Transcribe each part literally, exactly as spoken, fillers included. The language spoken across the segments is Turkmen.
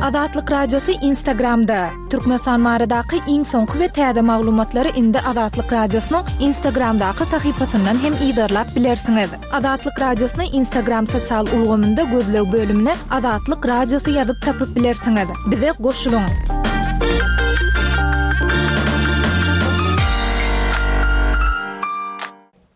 Azatlyk Radiosy Instagramda. Türkmenistan baradaky iň soňky we täze maglumatlary indi Azatlyk Radiosynyň Instagramdaky sahypasyndan hem yzarlap bilersiňiz. Azatlyk Radiosyny Instagram sosial ulgamynda gözleg bölümine Azatlyk Radiosy ýazyp tapyp bilersiňiz. Bize goşulyň.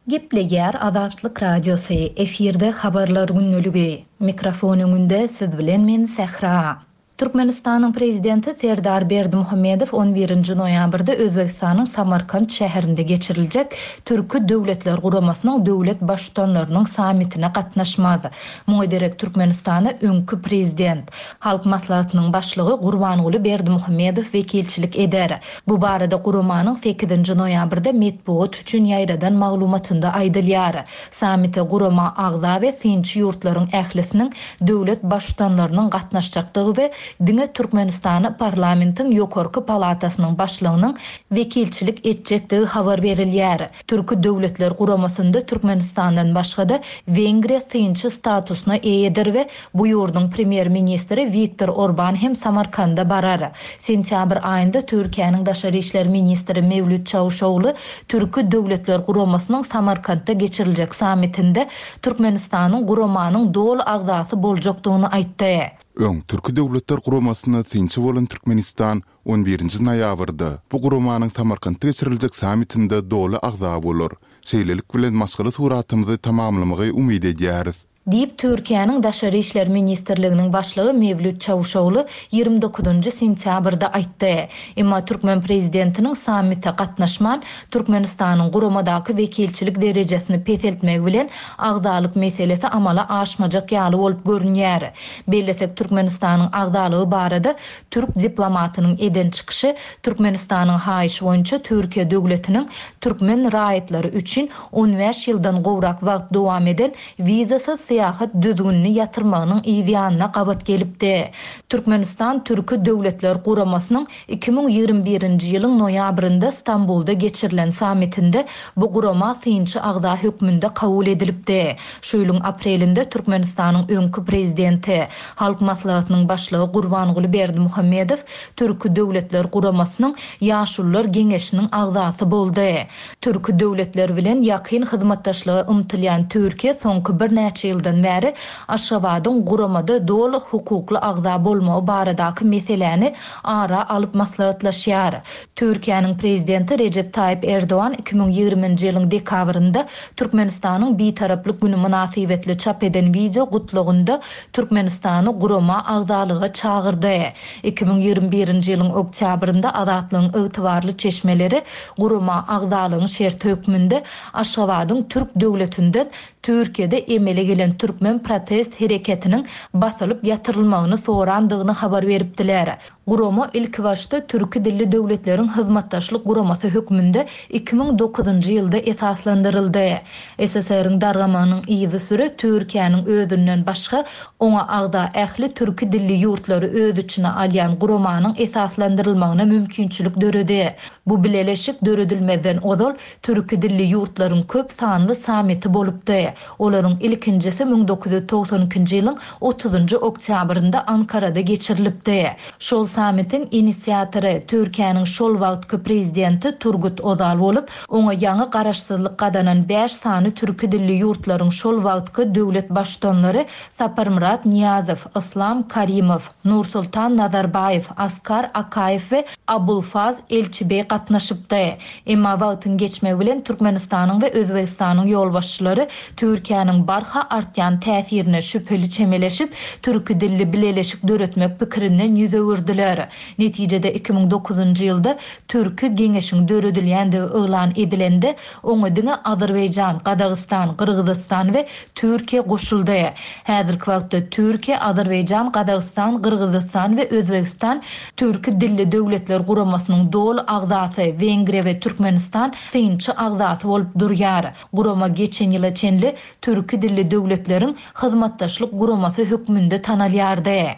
Gepleýär Azatlyk Radiosy, efirde habarlar gündeligi. Mikrofon öňünde siz bilen men Sähra. Türkmenistanyň Prezidenti Serdar Berdimuhamedow on birinji noýabrda Özbegistanyň Samarkant şäherinde geçiriljek Türki Döwletler Guramasynyň döwlet Baştutanlarynyň sammitine gatnaşmaz. Muňa derek Türkmenistana öňki Prezident, Halk Maslahatynyň Başlygy Gurbanguly Berdimuhamedow wekilçilik eder. Bu barada guramanyň sekizinji noýabrda metbugat üçin ýaýradan maglumatynda aýdylýar. Sammite gurama agza we synçy ýurtlaryň ählisiniň döwlet Baştutanlarynyň gatnaşjakdygy we diňe Türkmenistana parlamentiň ýokarky palatasynyň başlygynyň wekilçilik etjekdigi habar berilýär. Türki Döwletler Guramasynda Türkmenistandan başga-da Wengriýa synçy statusyna eýedir we bu ýurduň premýer-ministri Wiktor Orban hem Samarkanda barar. Sentýabr aýynda Türkiýäniň daşary işler ministri Mewlüt Çawuşogly Türki Döwletler Guramasynyň Samarkantda geçiriljek sammitinde Türkmenistanyň guramanyň doly agzasy boljakdygyny aýtdy. Öň Türki Döwletler Guramasyna synçy bolan Türkmenistan on birinji noýabrda bu guramanyň Samarkantda geçiriljek sammitinde doly agza bolar. Şeýlelik bilen maşgala suratymyzy tamamlamagy umyt edýäris. Diýip, Türkiýäniň Daşary işler ministrliginiň başlygy Mewlüt Çawuşogly ýigrimi dokuzynjy sentýabrda aýtdy. Emma türkmen prezidentiniň sammite gatnaşman, Türkmenistanyň guramadaky wekilçilik derejesini peseltmegi bilen agzalyk meselesi amala aşmajak ýaly bolup görünýär. Bellesek, Türkmenistanyň agzalygy barada türk diplomatynyň eden çykyşy Türkmenistanyň haýyşy boýunça Türkiýe döwletiniň türkmen raýatlary üçin on bäş ýyldan gowrak wagt dowam eden wizasyz syýahat düzgünini ýatyrmagynyň yz ýanyna gabat gelipdi. Türkmenistan Türki Döwletler Guramasynyň iki müň ýigrimi birinji ýylyň noýabrynda Stambulda geçirilen sammitinde bu gurama synçy agza hökmünde kabul edilipdi. Şu ýylyň aprelinde Türkmenistanyň öňki prezidenti, Halk Maslahatynyň başlygy Gurbanguly Berdimuhamedow Türki Döwletler Guramasynyň Ýaşulular Geňeşiniň agzasy boldy. Türki döwletler bilen ýakyn hyzmatdaşlyga ymtylýan Türkiýe soňky birnäçe ýyldan bäri Aşgabadyň guramada doly hukukly agza bolmagy baradaky meseläni ara alyp maslahatlaşýar. Türkiýäniň prezidenti Rejep Taýyp Erdogan iki müň ýigriminji ýylyň dekabrynda Türkmenistanyň Bitaraplyk güni mynasybetli çap eden wideo gutlagynda Türkmenistany gurama agzalyga çagyrdy. Iki müň ýigrimi birinji ýylyň oktýabrynda Azatlygyň ygtybarly çeşmeleri gurama agzalygyň şerti hökmünde Aşgabadyň türk döwletinden Türkiýede emele gelen türkmen protest hereketiniň basylyp ýatyrylmagyny sorandygyny habar beripdiler. Gurama ilkibaşda türki dilli döwletleriň hyzmatdaşlyk guramasy hökmünde iki müň dokuzynjy ýylda esaslandyryldy. S S R-iň dargamagynyň yzysüre Türkiýäniň özünden başga oňa agza ähli türki dilli ýurtlary öz içine alýan guramanyň esaslandyrylmagyna mümkinçilik döredi. Bu bileleşik döredilmezden ozal türki dilli ýurtlaryň köp sanly sammiti bolupdy. Olaryň ilkinjisi müň dokuz ýüz togsan ikinji ýylyň otuzynjy oktýabrynda Ankarada geçirilipdi. Şol sammitiň inisiatory Türkiýäniň şol wagtky prezidenti Turgut Ozal bolup, oňa ýaňy garaşsyzlyk gazanan bäş sany türki dilli ýurtlaryň şol wagtky döwlet baştutanlary Saparmyrat Niýazow, Islam Karimow, Nursultan Nazarbaýew, Askar Akaýew we Abulfaz Elçibeý gatnaşypdy. Emma wagtyň geçmegi bilen Türkmenistanyň we Özbegistanyň ýolbaşçylary Türkiýäniň barha artýan täsirine şübheli çemeleşip, türki dilli bileleşik döretmek pikirinden ýüz öwürdiler. Netijede iki müň dokuzynjy ýylda Türki Geňeşiň döredilýändigi yglan edilende, oňa diňe Azerbaýjan, Gazagystan, Gyrgyzystan we Türkiýe goşuldy. Häzirki wagtda Türkiýe, Azerbaýjan, Gazagystan, Gyrgyzystan we Özbegistan Türki dilli döwletler guramasynyň doly agzasy, Wengriýa we Türkmenistan synçy agzasy bolup durýar. Gurama geçen ýyla çenli Türki dilli döwletleriň hyzmatdaşlyk guramasy hökmünde tanalýardy.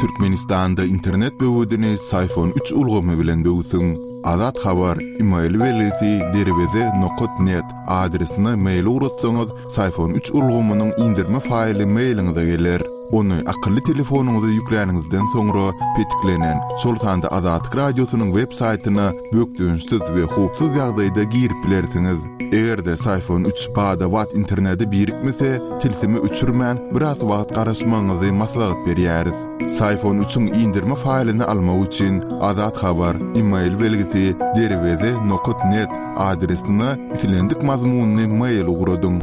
Türkmenistanda internet böwedini Syfon üç ulgamy bilen böwsüň. Azat Habar email belgisi derweze nokat net adresine mail ugratsaňyz, Sayfon üç ulgamynyň indirme faýly mailiňize geler. Ony akylly telefonyňyza ýükläniňizden soňra petiklenen, şol sanda Azatlyk Radiosynyň web saýtyna bökdençsiz we howpsuz ýagdaýda girip bilersiňiz. Eger-de Sayfon üç bada-bat internete birikmese, tilsimi öçürmän biraz wagt garaşmagyňyzy maslahat berýäris. Sayfon üçiň indirme faýlyny almak üçin Azat Habar email belgisi derweze nokat net adresine islendik mazmunyny mail ugradyň.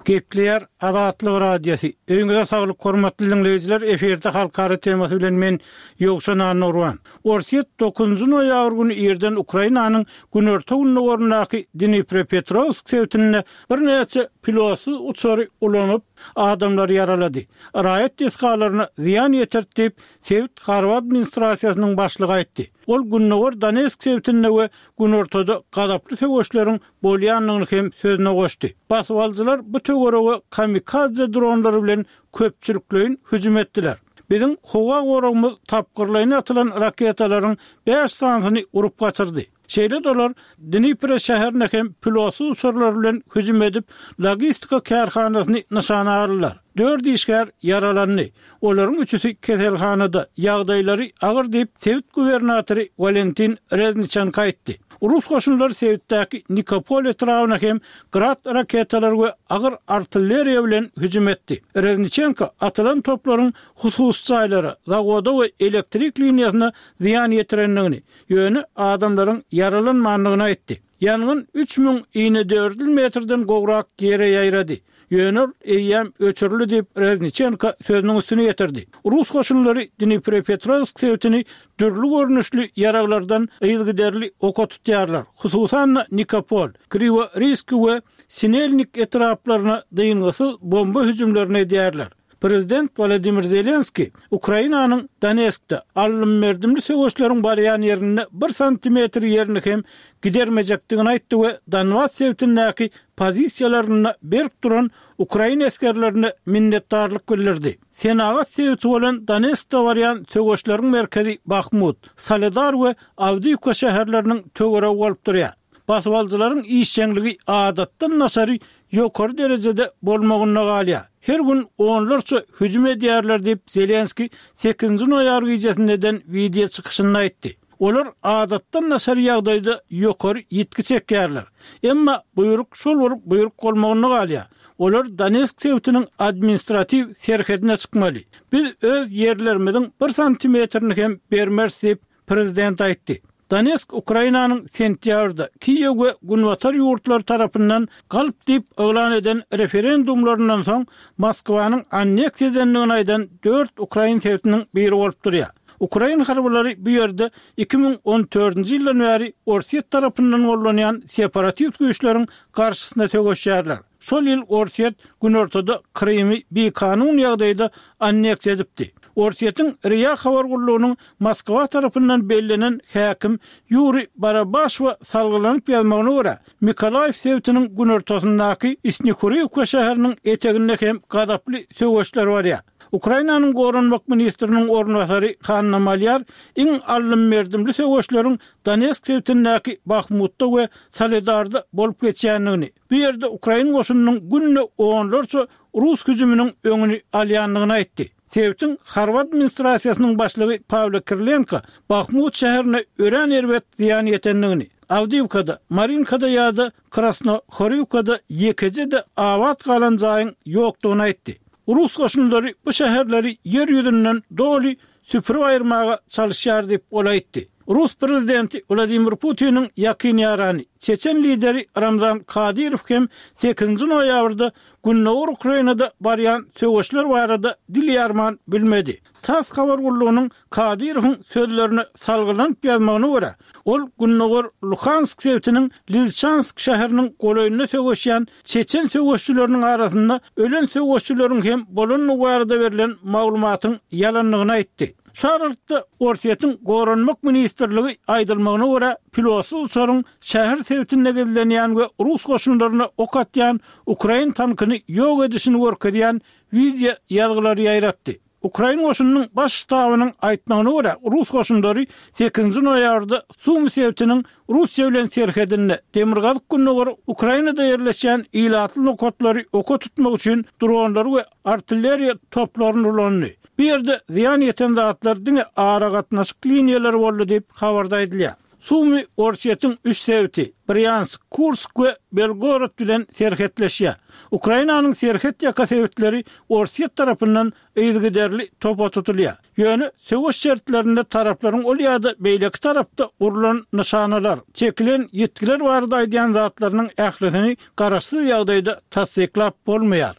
Gepleýär Azatlyk Radiosy. Öýüňize saglyk hormatly dinleýjiler, efirde halkara temasy bilen men Ýowşan Annurwan. Orsýet dokuzynjy noýabr güni irden Ukrainanyň günorta gündogaryndaky Dnipropetrovsk sebitinde birnäçe pilotsyz uçary ulanyp, adamlary ýaralady. Raýat desgalaryna zyýan ýetirdi diýip, sebit harby administrasiýasynyň başlygy aýtdy. Ol gündogar Donetsk sebitinde we günortada gazaply söweşleriň bolýandygyny hem sözüne goşdy. Basybalyjylar bu töwerege kamikadze dronlary bilen köpçülikleýin hüjüm etdiler. Biziň howa goragymyz tapgyrlaýyn atylan raketalaryň bäş sanyny urup gaçyrdy. Şeýle dolar Dnipro şäherine hem pilotsyz uçarlar bilen hüjüm edip, logistika kärhanasyny nyşana aldylar. Dört işgär ýaralandy. Olaryň üçüsi keselhanada, ýagdaýlary agyr diýip, sebit gubernatory Valentin Rezniçenko aýtdy. Rus goşunlary sebitdäki Nikopol etrabyna hem Grad raketalary we agyr artilleriýa bilen hüjüm etdi. Rezniçenko atylan toplaryň hususy jaýlara, zawoda we elektrik liniýasyna zyýan ýetirendigini, ýöne adamlaryň ýaralanmandygyny aýtdy. Ýangyn üç müň inedördül metrden gowrak ýere ýaýrady. Ýöne eýýäm öçürildi diýip Rezniçenko sözüniň üstüne ýetirdi. Rus goşunlary Dnipropetrovsk sebitini dürli görnüşli ýaraglardan yzygiderli oka tutýarlar. Hususan Nikopol, Kriworiski we Sinelnik etraplaryna dyngysyz bomba hüjümlerini edýärler. Prezident Wladimir Zelenski Ukrainanyň Donetskde alym-merdimli söweşleriň barýan ýerinde bir santimetr ýerini hem gidermejekdigini aýtdy we Donbas sebitindäki pozisiýalarynda berk duran Ukraina esgerlerine minnetdarlyk bildirdi. Senagat sebiti bolan Donetskde barýan söweşleriň merkezi Bahmut, Soledar we Awdiýewka şäherleriniň töweregi bolup durýar. Basybalyjylaryň işjeňligi adatdan daşary ýokary derejede bolmagynda galýar. Her gün onlarça hüjüm edýärler diýip Zelenski sekizinji noýabr gecesinde eden wideo çykyşynda aýtdy. Olar adatdan daşary ýagdaýda ýokary ýitgi çekýärler. Emma buýruk şol bir buýruk bolmagynda galýar. Olar Donetsk sebitiniň administratiw serhedine çykmaly. Biz öz ýerlerimiziň bir santimetrini hem bermeris diýip prezident aýtdy. Donetsk Ukrainanyň sentýabrda Kiýew we Günbatar ýurtlary tarapyndan galp diýip yglan eden referendumlaryndan soň Moskwanyň anneksiýa edendigini aýdan dört ukrain sebitiniň biri bolup durýar. Ukrain harbylary bu ýerde iki müň on dördünji ýyldan bäri Orsýet tarapyndan gollanýan separatist güýçleriň garşysyna söweşýärler. Şol ýyl Orsýet günortada Krymy bikanun ýagdaýda anneksiýa edipdi. Orsýetiň R I A habar gullugynyň Moskwa tarapyndan bellenen häkim Ýuri Barabaşowa salgylanyp ýazmagyna görä, Mikolaýew sebitiniň günortasyndaky Snikurivka şäheriniň eteginde hem gazaply söweşler barýar. Ukrainanyň goranmak ministriniň orunbasary Hanna Malýar iň alym-merdimli söweşleriň Donetsk sebitindäki Bahmutda we Soledarda bolup geçýändigini, bu ýerde Ukrain goşunynyň günde onlarça rus hüjüminiň öňüni alýandygyny aýtdy. Sebitiň harby administrasiýasynyň başlygy Pawlo Kirilenko Bahmut şäherine örän erbet zyýan ýetendigini, Awdiýewkada, Marinkada ýa-da Krasnohorivkada ýekeje-de abat galan jaýyň ýokdugyny aýtdy. Rus goşunlary bu şäherleri ýer ýüzünden doly süpürip aýyrmaga çalışýar diýip ol aýtdy. Rus prezidenti Wladimir Putiniň ýakyn ýarany, Çeçen lideri Ramzan Kadyrow hem sekizinji noýabrda Gündogar Ukrainada barýan söweşler barada dil ýarman bilmedi. TASS habar gullugynyň Kadyrowyň sözlerine salgylanyp ýazmagyna görä, ol Gündogar Luhansk sebitiniň Lizçansk şäheriniň golaýynda söweşýän Çeçen söweşçileriniň arasynda ölen söweşçileriň hem bolandygy barada berlen maglumatyň ýalandygyny aýtdy. Şu aralykda Orsýetiň Goranmak ministrligi aýdylmagyna görä, pilotsyz uçaryň şäher sebitinde gizlenýän we rus goşunlaryna ok atýan ukrain tankyny ýok edişini görkezýän wideo ýazgylary ýaýratdy. Ukrain goşunynyň baş ştabynyň aýtmagyna görä, rus goşunlary sekizinji noýabrda Sumy sebitiniň Russiýa bilen serhedinde, demirgazyk-gündogar Ukrainada ýerleşýän ilatly nokatlary oka tutmak üçin dronlary we artilleriýa toplaryny ulandy. Bu ýerde zyýan ýeten zatlar diňe aragatnaşyk liniýalary boldy diýip, habarda aýdylýar. Sumy Orsýetiň üç sebiti, Brýansk, Kursk we Belgorod bilen serhetleşýär. Ukrainanyň serhet ýaka sebitleri Orsýet tarapyndan yzygiderli topa tutulýar. Ýöne söweş şertlerinde taraplaryň ol ýa-da beýleki tarapda gurlan nyşanalar, çekilen ýitgiler barada aýdýan zatlarynyň ählisini garaşsyz ýagdaýda tassyklap bolmaýar.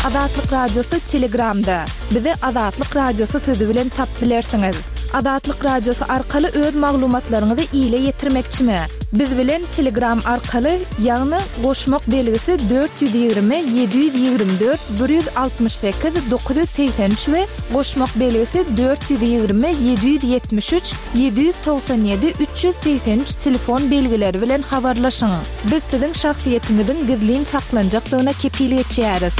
Azatlyk Radiosy Telegramda. Bizi Azatlyk Radiosy sözi bilen tapyp bilersiňiz. Azatlyk Radiosy arkaly öz maglumatlaryňyzy ile ýetirmekçimi? Biz bilen Telegram arkaly, ýagny goşmak belgisi dört ýüz ýigrimi ýedi ýüz ýigrimi dört bir ýüz altmyş sekiz dokuz ýüz segsen üç we goşmak belgisi dört ýüz ýigrimi ýedi ýüz ýetmiş üç ýedi ýüz togsan ýedi üç ýüz segsen üç telefon belgileri bilen habarlaşyň. Biz siziň şahsyýetiňiziň gizlin saklanjakdygyna kepil geçýäris.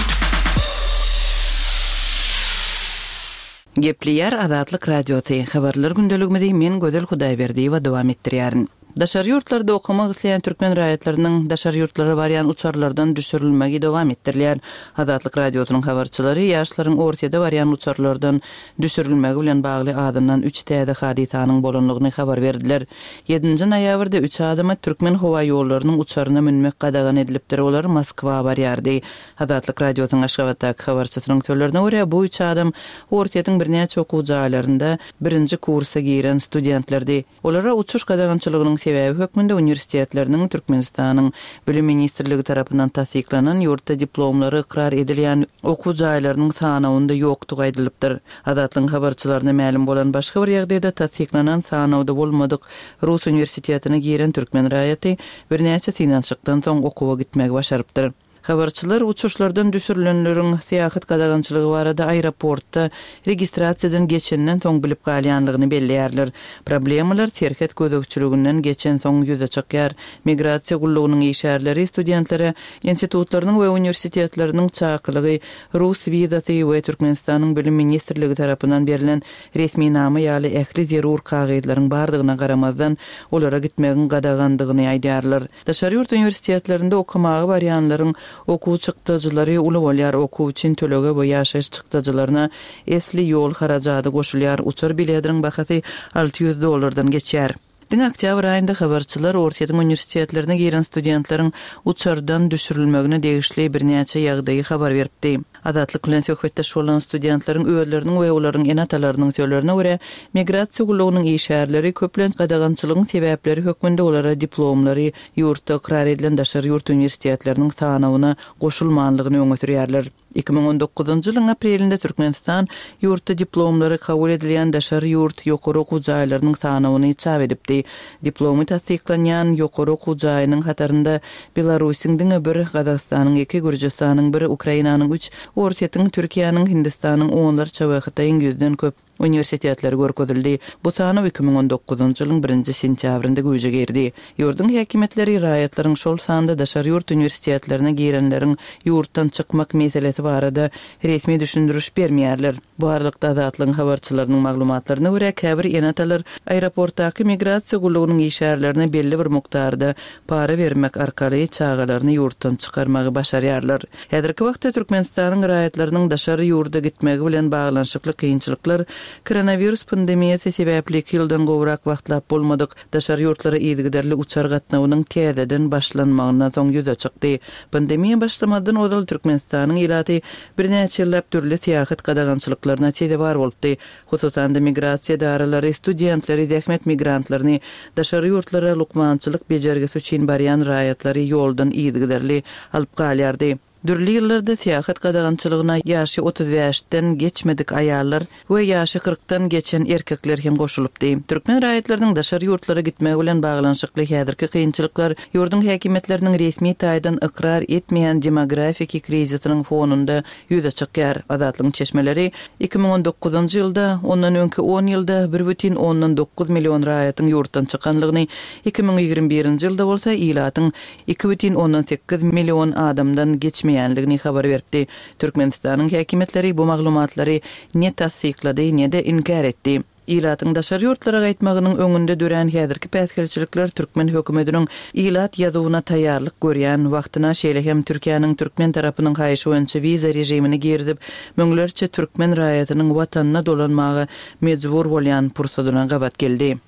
Gepleýär Azatlyk Radiosy, Habarlar gündeligimizi men Gözel Hudaýberdiýewa dowam etdirýärin. Daşary ýurtlarda okamak isleýän türkmen raýatlarynyň daşary ýurtlara barýan uçarlardan düşürilmegi dowam etdirilýär. Azatlyk Radiosynyň habarçylary ýaşlaryň Orsýete barýan uçarlardan düşürilmegi bilen bagly azyndan üç täze hadysanyň bolandygyny habar berdiler. Ýedinji noýabrda üç adama Türkmen howa ýollarynyň uçaryna münmek gadagan edilipdir, olar Moskwa barýardy. Azatlyk Radiosynyň Aşgabatdaky habarçysynyň sözlerine görä, bu üç adam Orsýetiň birnäçe okuw jaýlarynda birinji kursa giren studentlerdi. Olara uçuş gadagançylygynyň sebäbi hökmünde uniwersitetleriniň Türkmenistanyň Bilim ministrligi tarapyndan tassyklanan ýurtda diplomlary ykrar edilýän okuw jaýlarynyň sanawynda ýokdugy aýdylypdyr. Azatlygyň habarçylaryna mälim bolan başga bir ýagdaýda tassyklanan sanawda bolmadyk rus uniwersitetine giren türkmen raýaty birnäçe synanyşykdan soň okuwa gitmegi başarypdyr. Habarçylar uçuşlardan düşürilenleriň syýahat gadagançylygy barada aeroportda registrasiýadan geçenden soň bilip galýanlygyny belleýärler. Problemalar serhet gözegçiliginden geçen soň ýüze çykýar. Migrasiýa gullugynyň işgärleri studentlere institutlarynyň we uniwersitetleriniň çakylygy, rus wizasy we Türkmenistanyň Bilim ministrligi tarapyndan berlen resminama ýaly ähli zerur kagyzlaryň bardygyna garamazdan, olara gitmegiň gadagandygyny aýdýarlar. Daşary ýurt uniwersitetlerinde okamaga barýanlaryň okuw çykdajylary uly bolýar, okuw üçin tölege we ýaşaýyş çykdajylaryna esli ýol harajady goşulýar, uçar biletiniň bahasy alty ýüz dollardan geçýär. Diňe oktýabr aýynda habarçylar Orsýetiň uniwersitetlerine giren studentleriň uçardan düşürilmegine degişli birnäçe ýagdaýy habar beripdi. Azatlyk bilen söhbetdeş bolan studentleriň özleriniň we olaryň ene-atalarynyň sözlerine görä, migrasiýa gullugynyň işgärleri köplenç gadagançylygyň sebäpleri hökmünde olara diplomlary ýurtda ykrar edilen daşary ýurt uniwersitetleriniň sanawyna goşulmanlygyny öňe sürýärler. Iki müň on dokuzynjy ýylyň aprelinde Türkmenistan ýurtda diplomlary kabul edilýän daşary ýurt ýokary okuw jaýlarynyň sanawyny çap edipdi. Diplomy tassyklanýan ýokary okuw jaýynyň hatarynda Belarusyň diňe bir, Gazagystanyň iki, Gürjüstanyň bir, Ukrainanyň üç, Orsýetiň, Türkiýäniň, Hindistanyň onlarça we Hytaýyň ýüzden köp uniwersitetleri görkezildi. Bu sanaw iki müň on dokuzynjy ýylyň birinji sentýabrynda güýje girdi. Ýurduň häkimiýetleri raýatlaryň, şol sanda daşary ýurt uniwersitetlerine girenleriň ýurtdan çykmak meselesi barada resmi düşündiriş bermeýärler. Bu aralykda, Azatlygyň habarçylarynyň maglumatlaryna görä, käbir ene-atalar aeroportdaky migrasiýa gullugynyň işgärlerine belli bir mukdarda para bermek arkaly çagalaryny ýurtdan çykarmagy başarýarlar. Häzirki wagtda Türkmenistanyň raýatlarynyň daşary ýurda gitmegi bilen baglanyşykly kynçylyklar koronawirus pandemiýasy sebäpli iki ýyldan gowrak wagtlap bolmadyk daşary ýurtlara yzygiderli uçar gatnawynyň täzeden başlanmagyndan soň ýüze çykdy. Pandemiýa başlamazdan ozal Türkmenistanyň ilaty birnäçe ýyllap dürli syýahat gadagançylyklaryna sezewar bolupdy. Hususan-da, migrasiýa edaralary studentleri, zähmet migrantlaryny, daşary ýurtlara lukmançylyk bejergisi üçin barýan raýatlary ýoldan yzygiderli alyp galýardy. Dürli ýyllarda syýahat gadagançylygyna ýaşy otuz bäşden geçmedik aýallar we ýaşy kyrkdan geçen erkekler hem goşulypdy. Türkmen raýatlarynyň daşary ýurtlara gitmegi bilen baglanyşykly häzirki kynçylyklar ýurduň häkimiýetleriniň resmi taýdan ykrar etmeýän demografiki krizisiniň fonunda ýüze çykýar. Azatlygyň çeşmeleri iki müň on dokuzynjy ýylda, ondan öňki on ýylda bir bütin ondan dokuz million raýatyň ýurtdan çykanlygyny, iki müň ýigrimi birinji ýylda bolsa ilatyň iki bütin ondan sekiz million adamdan geçmeýändigini islemeýänligini habar beripdi. Türkmenistanyň häkimiýetleri bu maglumatlary ne tassyklady, ne-de inkär etdi. Ilatyň daşary ýurtlara gaýtmagynyň öňünde dörän häzirki päsgelçilikler türkmen hökümetiniň ilat ýazuwyna taýýarlyk görýän wagtyna, şeýle hem Türkiýäniň türkmen tarapynyň haýyşy boýunça wiza režimini girizip, müňlerçe türkmen raýatynyň watanyna dolanmaga mejbur bolýan pursadyna gabat geldi.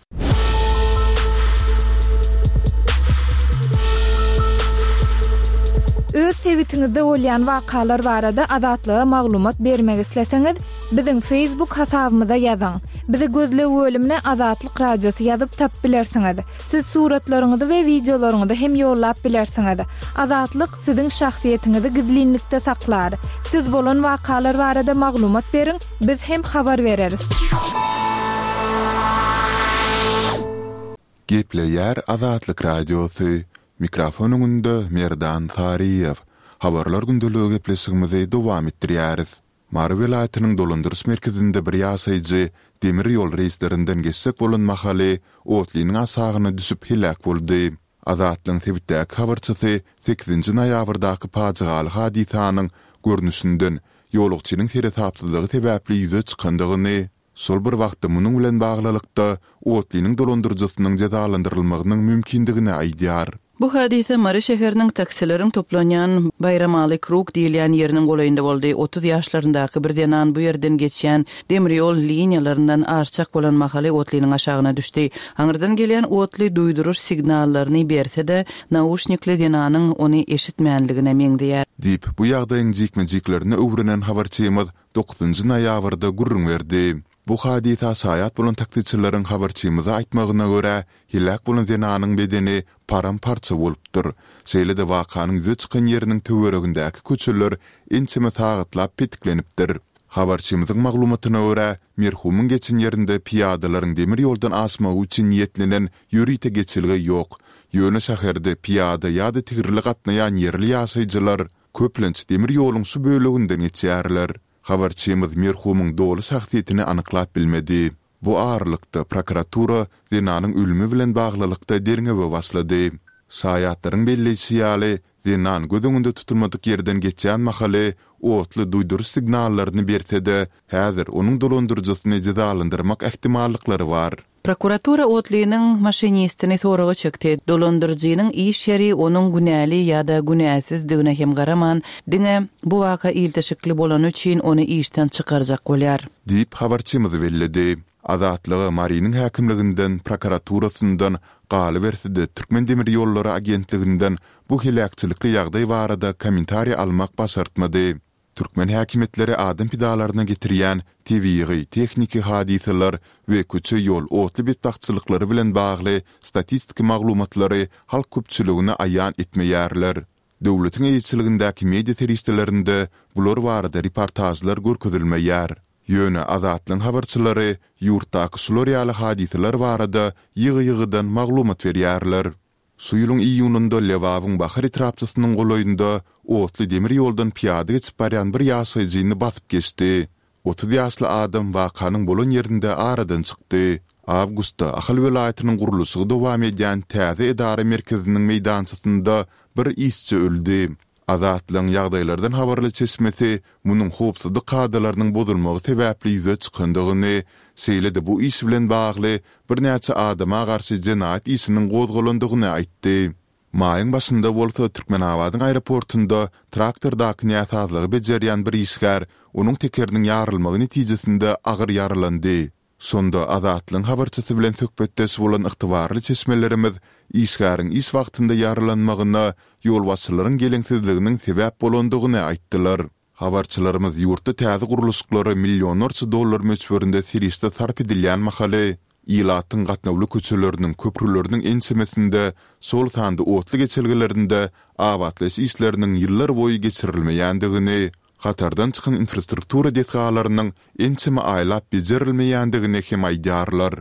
Öz sebitiňizde bolýan wakalar barada Azatlyga maglumat bermek isleseňiz, biziň Facebook hasabymyza ýazyň. Bizi gözleg bölümine Azatlyk Radiosy ýazyp tapyp bilersiňiz. Siz suratlaryňyzy we wideolaryňyzy hem ýollap bilersiňiz. Azatlyk siziň şahsyýetiňizi gizlinlikde saklar. Siz bolan wakalar barada maglumat beriň, biz hem habar bereris. Gepleýär Azatlyk Radiosy. Mikrofon öňünde Merdan Saryýew. Habarlar gündeligi gepleşigimizi dowam etdirýäris. Mary welaýatynyň dolandyryş merkezinde bir ýaşaýjy demir ýol reýslerinden geçjek bolan mahaly otlynyň aşagyna düşüp heläk boldy. Azatlygyň sebitdäki habarçysy sekizinji noýabrdaky pajygaly hadysanyň görnüşinden ýolagçynyň seresapsyzlygy sebäpli ýüze çykandygyny, şol bir wagtda munuň bilen baglylykda otlynyň dolandyryjysynyň jezalandyrylmagynyň mümkindigini aýdýar. Bu hadysa Mary şäheriniň taksileriň toplanýan Baýramaly Krug diýilýän ýeriniň golaýynda boldy. Otuz ýaşlaryndaky bir zenan bu ýerden geçýän demir ýol liniýalaryndan aşjak bolan mahaly otlynyň aşagyna düşdi. Aňyrdan gelýän otly duýduryş signallaryny berse-de, nauşnikli zenanyň ony eşitmänligine meňzeýär. Diýip, bu ýagdaýyň jikme-jiklerini öwrenen habarçymyz dokuzynjy noýabrda gürrüň berdi. Bu hadysa şaýat bolan taksiçileriň habarçymyza aýtmagyna görä, heläk bolan zenanyň bedeni param-parça bolupdyr. Şeýle-de wakanyň ýüze çykan ýeriniň töweregindäki köçeler ençeme sagatlap petiklenipdir. Habarçymyzyň maglumatyna görä, merhumyň geçen ýerinde pyýadalaryň demir ýoldan aşmagy üçin niýetlenen ýörite geçelge ýok. Ýöne şäherde pyýada ýa-da tigirli gatnaýan ýerli ýaşaýjylar köplenç demir ýoluň şu böleginden geçýärler. Habarçymyz merhumyň doly şahsyýetini anyklap bilmedi. Bu aralykda prokuratura zenanyň ölümi bilen baglylykda derňewe başlady. Şaýatlaryň belleýşi ýaly, zenan göz öňünde tutulmadyk ýerden geçýän mahaly otly duýduryş signallaryny berse-de, häzir onuň dolandyryjysyny jezalandyrmak ähtimallyklary bar. Prokuratura otlynyň maşinistini soraga çekdi. Dolandyryjynyň iş ýeri onuň günäli ýa-da günäsizdigine hem garaman, diňe bu waka ilteşikli bolany üçin ony işden çykarjak bolýar. Diýip, habarçymyz belledi. Azatlyga Marynyň häkimliginden, prokuraturasyndan, galyberse-de Türkmen demir ýollary agentliginden bu heläkçilikli ýagdaý barada kommentariý almak başartmady. Türkmen häkimiýetleri adam pidalaryna getirýän tebigy, tehniki hadysalar we köçe-ýol otly betbagtçylyklary bilen bagly statistiki maglumatlary halk köpçüligine aýan etmeýärler. Döwletiň eýeçiligindäki media serişdelerinde bular barada reportažlar görkezilmeýär. Ýöne Azatlygyň habarçylary ýurtdaky şular ýaly hadysalar barada ýygy-ýygydan maglumat berýärler. Şu ýylyň iýunynda Lebabyň Bahar etrapçasynyň golaýynda otly demir ýoldan pyýada geçip barýan bir ýaşaýjyny basyp geçdi. Otuz ýaşly adam wakanyň bolan ýerinde aradan çykdy. Awgustda Ahal welaýatynyň gurluşygy dowam edýän täze edara merkeziniň meýdançasynda bir işçi öldi. Azatlygyň ýagdaýlardan habarly çeşmesi munuň howpsuzlyk kadalarynyň bozulmagy sebäpli ýüze çykandygyny, şeýle-de bu iş bilen bagly birnäçe adama garşy jenaýat işiniň gozgalandygyny aýtdy. Maýyň başynda bolsa Türkmenabadyň aeroportynda traktordaky näsazlygy bejerýän bir işgär onuň tekeriniň ýarylmagy netijesinde agyr ýaralandy. Şonda Azatlygyň habarçysy bilen söhbetdeş bolan ygtybarly çeşmelerimiz işgäriň iş wagtynda ýaralanmagyna ýolbaşçylaryň geleňsizliginiň sebäp bolandygyny aýtdylar. Habarçylarymyz ýurtda täze gurluşyklara millionlarça dollar möçberinde serişde sarp edilýän mahaly, ilatyň gatnawly köçeleriniň, köprüleriniň ençemesinde, şol sanda otly geçelgelerinde abatlaýyş işleriniň ýyllarboýy geçirilmeýändigini, hatardan çykan infrastruktura desgalarynyň ençeme aýlap bejerilmeýändigini hem aýdýarlar.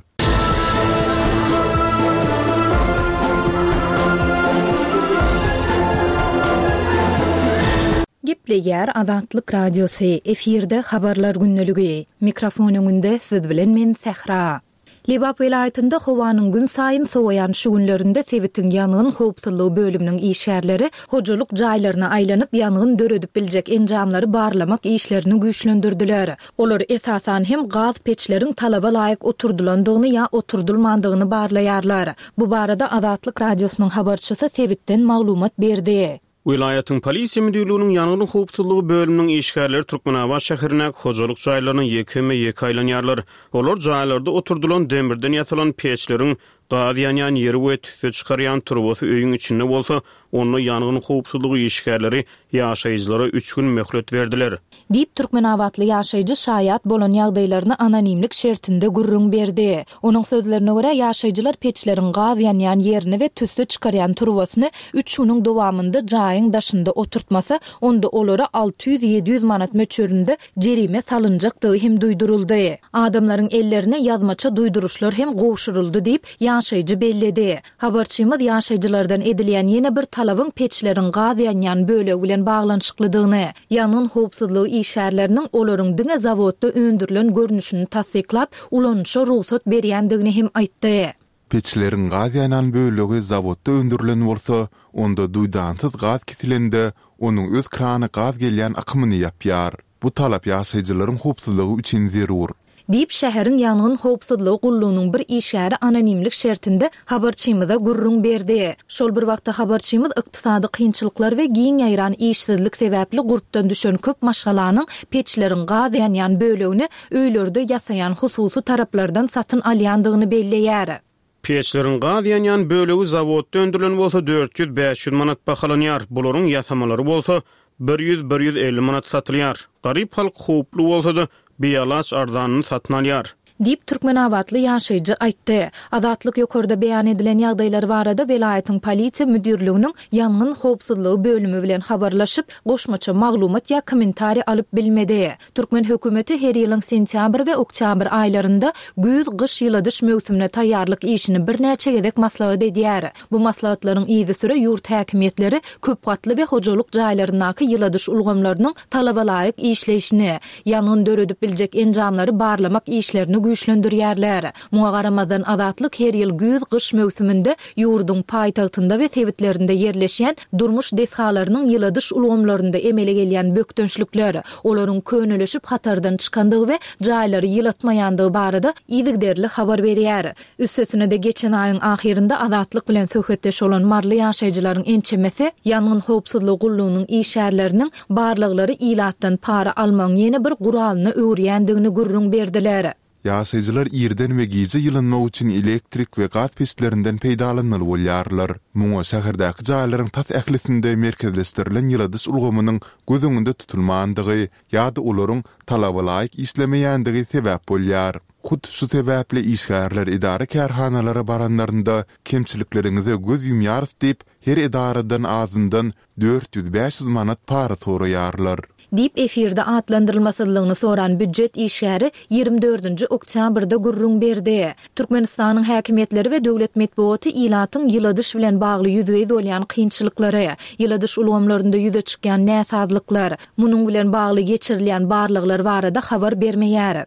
Gepleýär Azatlyk Radiosy, efirde Habarlar gündeligi. Mikrofon öňünde siz bilen men Sähra. Lebap welaýatynda howanyň günsaýyn sowaýan şu günlerinde sebitiň ýangyn howpsuzlygy bölüminiň işgärleri hojalyk jaýlaryna aýlanyp, ýangyn döredip biljek enjamlary barlamak işlerini güýçlendirdiler. Olar esasan hem gaz peçleriň talaba laýyk oturdylandygyny ýa oturdylmandygyny barlaýarlar. Bu barada Azatlyk Radiosynyň habarçysy sebitden maglumat berdi. Welaýatyň polisiýa müdirliginiň ýangyn howpsuzlygy bölüminiň işgärleri Türkmenabat şäherindäki hojalyk jaýlaryna ýekeme-ýeke aýlanýarlar. Olar jaýlarda oturdylan demirden ýasalan peçleriň gaz ýanýan ýeri we tüsse çykarýan turbasy öýüň içinde bolsa, onda ýangyn howpsuzlygy işgärleri ýaşaýjylara üç gün möhlet berdiler. Diýip, türkmenabatly ýaşaýjy şaýat bolan ýagdaýlaryny anonimlik şertinde gürrüň berdi. Onuň sözlerine görä, ýaşaýjylar peçleriň gaz ýanýan ýerini we tüsse çykarýan turbasyny üç günüň dowamynda jaýyň daşynda oturtmasa, onda olara alty ýüz-ýedi ýüz manat möçberinde jerime salynjakdygy hem duýduryldy. Adamlaryň ellerine ýazmaça duýduryşlar hem gowşuryldy diýip, ýaşaýjy belledi. Habarçymyz ýaşaýjylardan edilýän ýene bir talabyň peçleriň gaz ýanýan bölegi bilen baglanyşyklydygyny, ýangyn howpsuzlygy işgärleriniň olaryň diňe zawodda öndürilen görnüşini tassyklap, ulanyşa rugsat berýändigini hem aýtdy. Peçleriň gaz ýanýan bölegi zawodda öndürilen bolsa, onda duýdansyz gaz kesilende, onuň öz krany gaz gelýän akymyny ýapýar. Bu talap ýaşaýjylaryň howpsuzlygy üçin zerur. Diýip, şäheriň ýangyn howpsuzlygy gullugynyň bir işgäri anonimlik şertinde habarçymyza gürrüň berdi. Şol bir wagtda habarçymyz ykdysady kynçylyklar we giň ýaýran işsizlik sebäpli gurpdan düşen köp maşgalanyň peçleriň gaz ýanýan bölegini öýlerde ýasaýan hususy taraplardan satyn alýandygyny belleýär. Peçleriň gaz ýanýan bölegi zawodda öndürilen bolsa dört ýüz, bäş ýüz manat bahalanýar, bularyň ýasamalary bolsa bir ýüz, bir ýüz elli manat satylýar. Garyp halk howply bolsa-da, bialaç arzanyny satyn alýar. Diýip, türkmenabatly ýaşaýjy aýtdy. Azatlyk ýokarda beýan edilen ýagdaýlar barada welaýatyň polisiýa müdirliginiň ýangyn howpsuzlygy bölümi bilen habarlaşyp, goşmaça maglumat ýa kommentariý alyp bilmedi. Türkmen hökümeti her ýylyň sentýabr we oktýabr aýlarynda güýz-gyş ýyladyş möwsümine taýýarlyk işini birnäçe gezek maslahat edýär. Bu maslahatlaryň yzysüre ýurt häkimiýetleri köp gatly we hojalyk jaýlaryndaky ýyladyş ulgamlarynyň talabalaýyk işleýşini, ýangyn döredip biljek enjamlary barlamak işlerini güýçlendirýärler. Muňa garamazdan Azatlyk her ýyl güýz-gyş möwsüminde ýurduň paýtagtynda we sebitlerinde ýerleşýän durmuş desgalarynyň ýyladyş ulgamlarynda emele gelýän bökdençlikler, olaryň könelişip hatardan çykandygy we jaýlary ýylatmaýandygy barada yzygiderli habar berýär. Üstesine-de geçen aýyň ahyrynda Azatlyk bilen söhbetdeş bolan maryly ýaşaýjylaryň ençemesi ýangyn howpsuzlygy gullugynyň işgärleriniň barlaglary ilatdan para almagyň ýene bir guralyna öwürýändigini gürrüň berdiler. Ýaşaýjylar irden we gije ýylynmak üçin elektrik we gaz peçlerinden peýdalanmaly bolýarlar. Muňa şäherdäki jaýlaryň tas ählisinde merkezleşdirilen ýyladyş ulgamynyň göz öňünde tutulmandygy ýa-da olaryň talaba laýyk işlemeýändigi sebäp bolýar. Hut şu sebäpli işgärler edara-kärhanalara baranlarynda kemçilikleriňize göz ýumýarys diýip, her edaradan azyndan dört ýüz-bäş ýüz manat para soraýarlar. Diýip, efirde atlandyrylmasyzlygyny soran býujet işgäri ýigrimi dördünji oktýabrda gürrüň berdi. Türkmenistanyň häkimiýetleri we döwlet metbugaty ilatyň ýyladyş bilen bagly ýüzbe-ýüz bolýan kynçylyklary, ýyladyş ulgamlarynda ýüze çykýan näsazlyklar, munuň bilen bagly geçirilýän barlaglar barada habar bermeýär.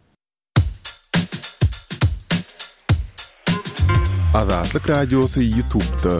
Azatlyk Radiosy YouTube'da.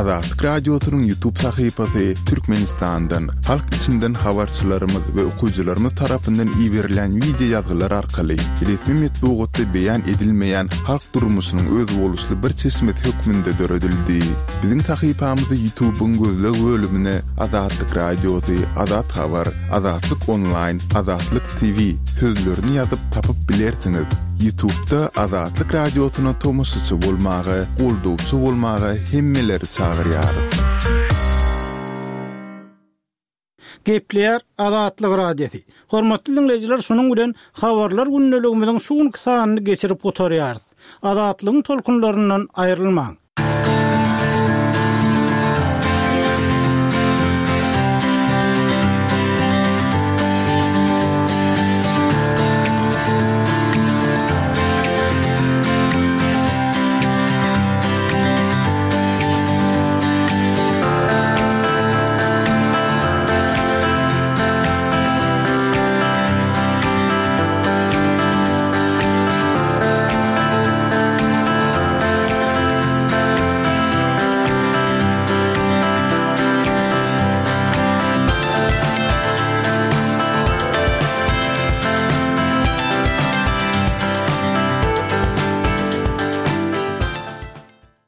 Azatlyk Radiosynyň YouTube sahypasy Türkmenistandan, halk içinden habarçylarymyz we okyjylarymyz tarapyndan iberilen wideo ýazgylar arkaly resmi metbugatda beýan edilmeýän halk durmuşynyň özboluşly bir çeşmesi hökmünde döredildi. Biziň sahypamyzy YouTube'yň gözleg bölümine Azatlyk Radiosy, Azat Habar, Azatlyk Onlaýn, Azatlyk T V sözlerini ýazyp tapyp bilersiňiz. YouTube'da Azatlyk Radiosyna tomaşaçy bolmaga, goldawçy bolmaga hemmeleri çagyrýarys. Gepleýär Azatlyk Radiosy. Hormatly dinleýjiler, şunuň bilen habarlar gündeligimiziň şu günki sanyny geçirip gutarýarys. Azatlygyň tolkunlaryndan aýrylmaň.